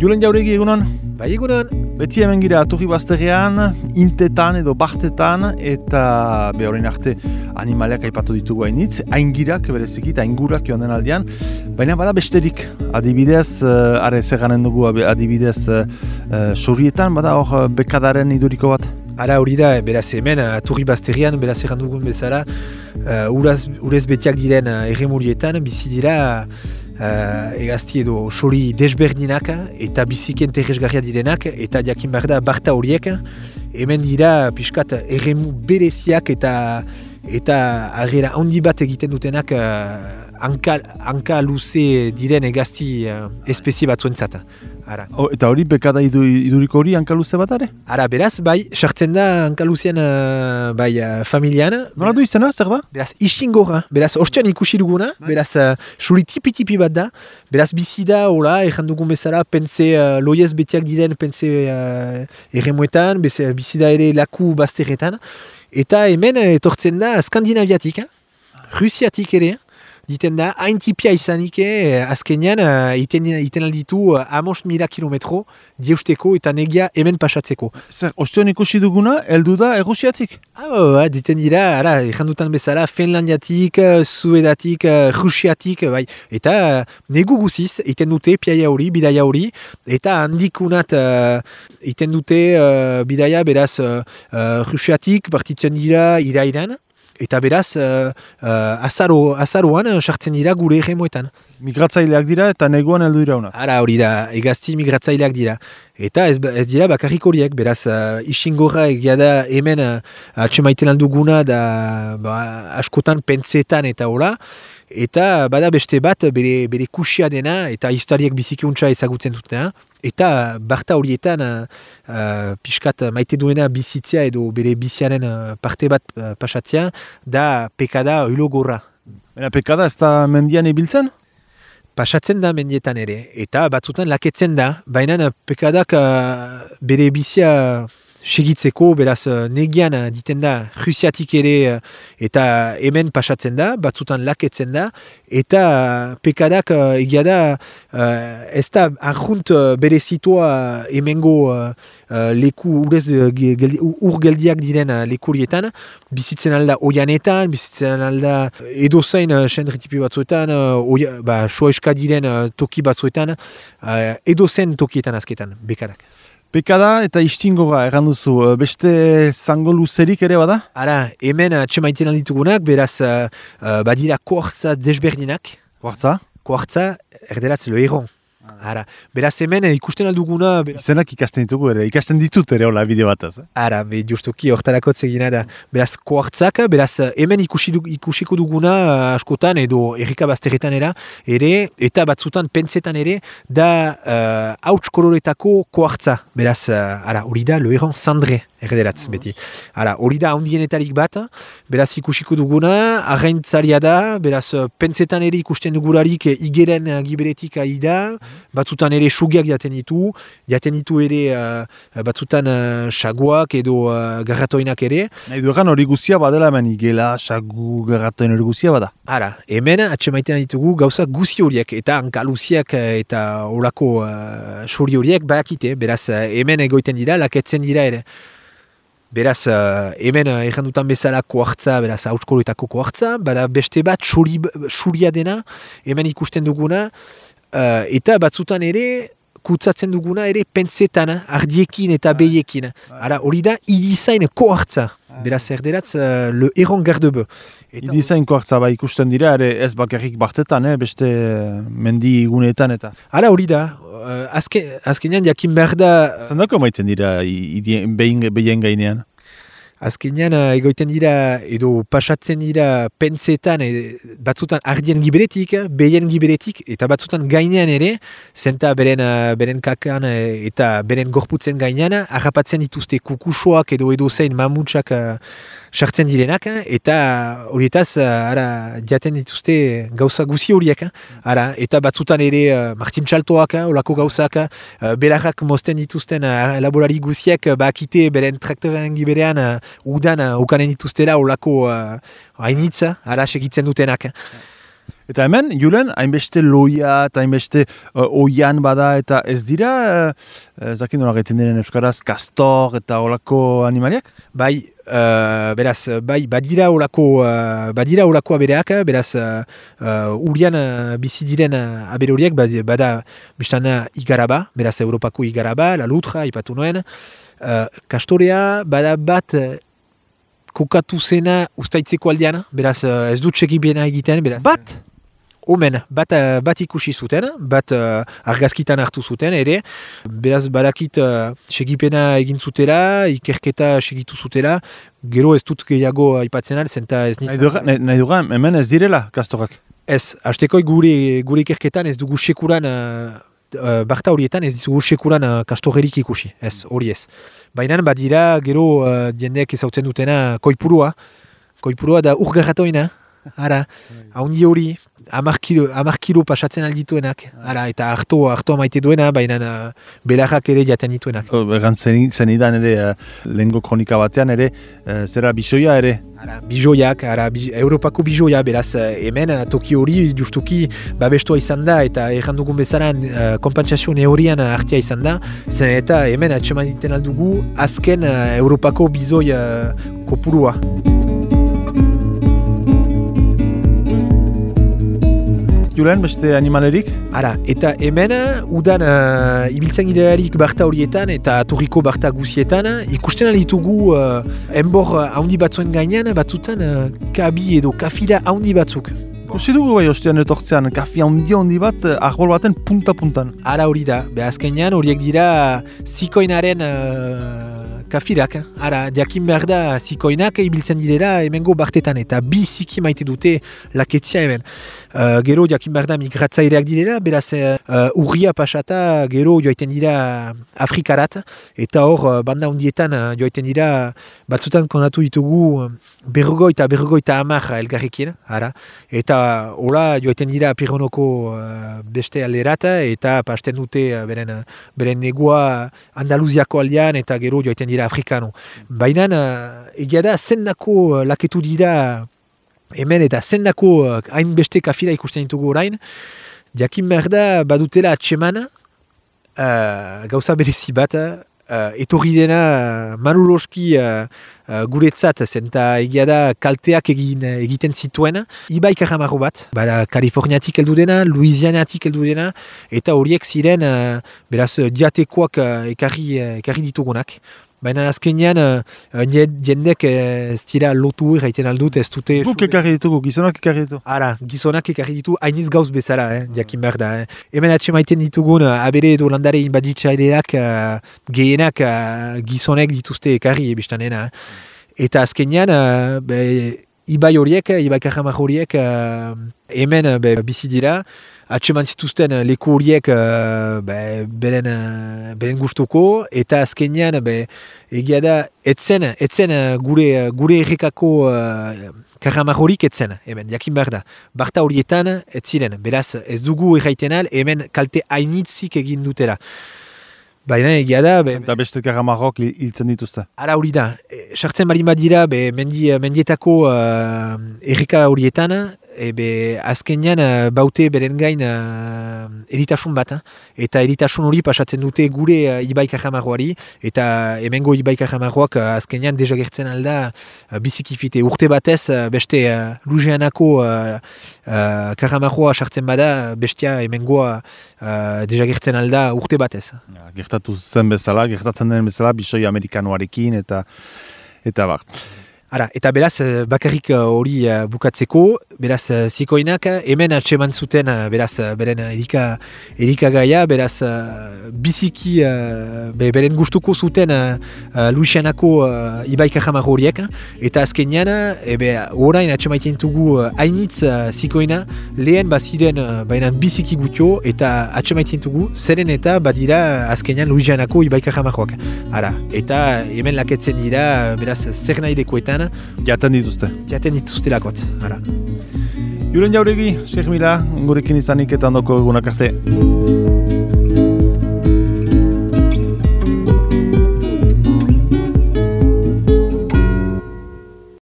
Julen Jauregi egunon? Bai egunon. Beti hemen gira Turri Bazterrean, intetan edo bartetan, eta horrein arte animaleak aipatu ditugu hainitz, aingirak bereziki eta aingurak joan den aldean, baina bada besterik, adibidez, are zeganen dugu adibidez sorrietan, bada hor bekadaren iduriko bat? Ara hori da, beraz hemen, Turri Bazterrean, beraz erran dugun bezala, urez betiak diren erremurietan, bizi dira egazti edo sori desberdinak eta biziki interesgarria direnak eta jakin behar da barta horiek hemen dira pixkat erremu bereziak eta agera handi bat egiten dutenak hanka luze diren egazti espezie batzuentzat. Eta hori bekada iduriko hori hanka luze bat are? Ara, beraz, bai, sartzen da hanka luzean familian. Nola du izena, zer da? Beraz, isingorra. Beraz, ostean ikusi duguna. Beraz, suri tipi bat da. Beraz, bizi da, hola, erran dugun bezala, pense loiez betiak diren, pense erremuetan, bizi da ere laku bazterretan. Eta hemen etortzen da skandinaviatik, rusiatik ere. Diten da, hain tipia izanik, azkenean, iten alditu 5.000 kilometro dieusteko eta negia hemen pasatzeko. Zer, ostean ikusi duguna, heldu da Rusiatik? Diten dira, errandutan bezala, Finlandiatik, Suedatik, Rusiatik, bai. Eta negu guziz, iten dute piaia hori, bidaia hori, eta handikunat iten dute bidaia, beraz, Rusiatik partitzen dira irairan, eta beraz, azaroan sartzen dira gure erremoetan. Migratzaileak dira eta neguan heldu dira honak. Ara hori da, egazti migratzaileak dira. Eta ez dira bakarrik horiek, beraz, isingorra egia da hemen atxemaiten alduguna da askotan pentsetan eta hola. Eta bada beste bat bere kusia dena eta historiak bizikiuntza ezagutzen dutena. Eta barta horietan pixkat maite duena bizitzea edo bere biziaren parte bat pasatzea da pekada oilogorra. Pekada ez da mendian ibiltzen? Pasatzen da mendietan ere, eta batzutan laketzen da, baina pekadak bere bizia segitzeko, beraz negian diten da Rusiatik ere eta hemen pasatzen da, batzutan laketzen da, eta pekadak egia da ez da arjunt bere zitua hemengo leku urgeldiak diren lekurietan, bizitzen alda oianetan, bizitzen alda edozain sendritipi batzuetan, soeska diren toki batzuetan, edozen tokietan azketan, bekadak. Pekada eta istingorra erran duzu, beste zango luzerik ere bada? Ara, hemen txemaiten alditugunak, beraz badira koartza desberdinak. Koartza? Koartza, erderatz lo erron. Ara, beraz hemen ikusten alduguna... Izenak ikasten ditugu ere, ikasten ditut ere hola bideo bataz. Ara, justuki hortarako zegina da. Beraz koartzak, beraz hemen ikusiko duguna askotan edo errika bazterretan ere, eta batzutan pentsetan ere, da hauts koloretako koartza. Beraz, hori da, lo erron Sandre. Erderatz, beti. Hori da handienetarik bat, beraz ikusiko duguna, arraintzaria da, beraz pentsetan ere ikusten dugularik igeren giberetik ari da, batzutan ere sugiak jaten ditu ere batzutan saguak edo garratoinak ere. Nahi du egan hori guzia badela hemen igela, sagu, garratoin hori guzia bada? Hemen atxemaiten ditugu gauza guzi horiek eta hankaluziak eta olako suri horiek badakite, beraz hemen egoiten dira, laketzen dira ere. Beraz, hemen errandutan bezala koartza, beraz, hautskoloetako koartza, bada beste bat suria dena, hemen ikusten duguna, eta batzutan ere, kutsatzen duguna ere pentsetan, ardiekin eta behiekin. Hori da, idizain koartza. Beraz, erderatz, le erron gardebe. Idizain koartza ikusten dira, ere ez bakarrik bartetan, beste mendi guneetan eta. Hori da, azkenean jakin behar da... Zendako maitzen dira behien gainean? Azkenean egoiten dira edo pasatzen dira pentsetan batzutan ardien giberetik, behien giberetik eta batzutan gainean ere, zenta beren kakan eta beren gorputzen gainean, harrapatzen dituzte kukusoak edo zein mamutsak sartzen direnak, eta horietaz jaten dituzte gauza guzi horiek. Eta batzutan ere Martin Txaltoak, olako gauzak, belarrak mozten dituzten laborari guziak, bakite beren traktoren giberean udan ukanen dituztera olako hainitza, segitzen dutenak. Eta hemen, Julen, hainbeste loia eta hainbeste oian bada eta ez dira, zakin nola gaiten diren euskaraz, kastor eta olako animaliak? Bai, beraz, badira olako abereak, beraz, urian bizi diren abere horiek, bada biztana igaraba, beraz, Europako igaraba, la lutra, ipatu noen, kastorea, bada bat, kokatu zena ustaitzeko aldean, beraz, ez dut segibiena egiten, beraz. Bat? Omen, bat ikusi zuten, bat argazkitan hartu zuten, ere, beraz badakit segipena egin zutela, ikerketa segitu zutela, gero ez dut gehiago aipatzen zenta ez nizan. Nahi dugan, hemen ez direla kastorak? Ez, hasteko gure ikerketan ez dugu sekuran, barta horietan ez dugu sekuran kastorrerik ikusi, ez, hori ez. Baina badira gero jendeak ezautzen dutena koipurua da urgarratoina, ara, haundi hori, 10 kilo pasatzen aldituenak, ara, eta hartoa maite duena, baina belarrak ere jaten dituenak. Zen idan ere, lehengo kronika batean ere, zera bisoia ere? Ara, bisoiak, Europako bisoia, beraz, hemen toki hori justuki babestua izan da, eta errandugun bezaran konpentsazio neurian hartia izan da, zen eta hemen atseman diten aldugu azken Europako bizoi kopurua. Julen, beste animalerik? Ara, eta hemen udan ibiltzen girearik barta horietan eta turriko barta guzietan ikusten alditugu enbor haundi batzuen gainean batzutan kabi edo kafira haundi batzuk. Kusi dugu bai ostean etortzean, kafi handi bat arbol baten punta-puntan. Ara hori da, azkenean horiek dira zikoinaren kafirak. Ara, jakin behar da zikoinak ibiltzen direla hemengo bartetan eta bi ziki maite dute laketzia hemen. Gero jakin behar da migratzaileak direla, beraz urria pasata gero joaiten dira Afrikarat eta hor banda hundietan joaiten dira batzutan kondatu ditugu berrogoita 10 elgarrekin, ara, eta hola joaiten dira Pironoko beste alderat eta pasten dute beren negua Andaluziako aldean eta gero joaiten dira Afrikano. Baina egia da zendako laketu dira hemen eta zendako hainbeste kafira ikusten ditugu orain, jakin behar da badutela atseman gauza berezi bat, etorri dena manuloski guretzat, zenta egia da kalteak egiten zituen, Ibai Kajamarro bat, Kaliforniatik heldu dena, Louisianatik heldu dena, eta horiek ziren beraz diatekoak ekarri ditugunak. Baina azkenean jendek ez dira lotu egiten aldut, ez dute... Guk ekarri ditugu, gizonak ekarri ditu. Ara, gizonak ekarri ditu, hainiz gauz bezala, jakin behar da. Hemen atxemaiten ditugun, abere edo landare inbaditzaileak gehienak gizonek dituzte ekarri ebistanena. Eta azkenean, Ibai horiek, Ibai Kajamar horiek hemen bizi dira, atseman zituzten leku horiek beren gustuko, eta azkenean egia da etzen gure errekako Kajamar horik etzen, hemen, jakin behar da. Barta horietan etziren, beraz ez dugu erraiten al, hemen kalte hainitzik egin dutela. Baina egia da... Eta beste Kajamarrok hiltzen dituzte. Ara hori da, sartzen bali badira mendietako erreka horietan, azkenean baute beren gain eritasun bat, eta eritasun hori pasatzen dute gure Ibai Kajamarroari, eta hemengo Ibai Kajamarroak azkenean desagertzen alda bizikifite. Urte batez beste Lujeanako Kajamarroa sartzen bada, bestia hemengoa desagertzen alda urte batez. Gertatzen den bezala, bisoi amerikanoarekin eta bar. Ara, eta beraz, bakarrik hori bukatzeko, beraz, zikoinak hemen atseman zuten, beraz, beren erikagaia, beraz, biziki beren gustuko zuten Louisianako Ibai Kajamar horiek, eta azkenean, orain atsemaiten dugu hainitz zikoina, lehen baziren bainan biziki gutio, eta atsemaiten dugu, zeren eta badira azkenean Louisianako Ibai Kajamaroak. Ara, eta hemen laketzen dira, beraz, zer nahi dekoetan, Jaten dituzte. Jaten dituzte lakot, ara. Julen Jauregi, Sheikh Mila, gurekin izanik eta ondoko egunak arte.